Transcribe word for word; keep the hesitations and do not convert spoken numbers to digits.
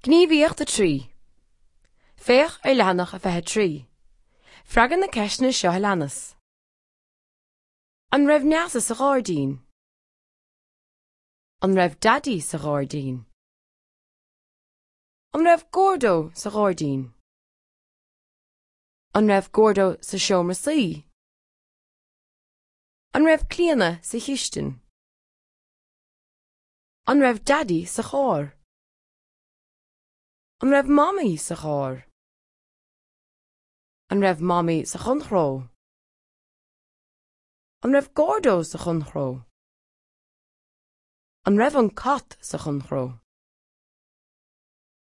Gníomhaíocht a trí. Féach ar leathanach a fiche trí. Freagair na ceisteanna seo a leanas. An raibh Neasa sa ghairdín? An raibh Daidí sa ghairdín? An raibh Gordo sa ghairdín? An raibh Gordo sa seomra suí? An raibh Clíona sa chistin? An raibh Daidí sa charr? An raibh Mamaí sa charr? An raibh Mamaí sa chonnchró? An raibh Gordo sa chonnchró? An raibh an cat sa chonnchró?